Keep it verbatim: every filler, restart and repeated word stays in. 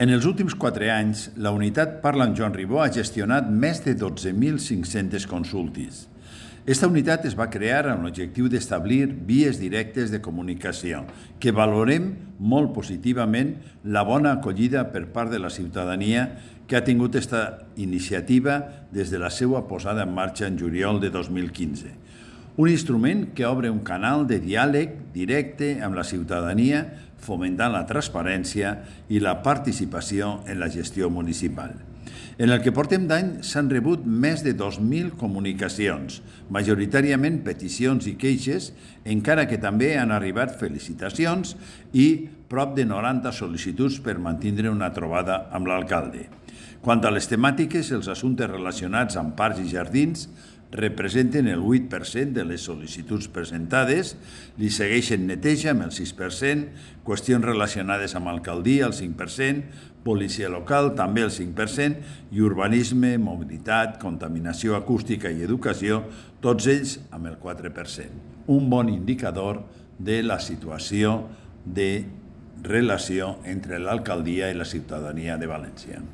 En els últims quatre anys, la unitat Parla amb Joan Ribó ha gestionat més de dotze mil cinc-centes consultes. Esta unitat es va crear amb l'objectiu d'establir vies directes de comunicació, que valorem molt positivament la bona acollida per part de la ciutadania que ha tingut aquesta iniciativa des de la seva posada en marxa en juliol de dos mil quinze. Un instrument que obre un canal de diàleg directe amb la ciutadania, fomentant la transparència i la participació en la gestió municipal. En el que portem d'any s'han rebut més de dos mil comunicacions, majoritàriament peticions i queixes, encara que també han arribat felicitacions i prop de noranta sol·licituds per mantindre una trobada amb l'alcalde. Quant a les temàtiques, els assumptes relacionats amb parcs i jardins representen el vuit per cent de les sol·licituds presentades, li segueixen neteja amb el sis per cent, qüestions relacionades amb alcaldia el cinc per cent, policia local també el cinc per cent i urbanisme, mobilitat, contaminació acústica i educació, tots ells amb el quatre per cent. Un bon indicador de la situació de relació entre l'alcaldia i la ciutadania de València.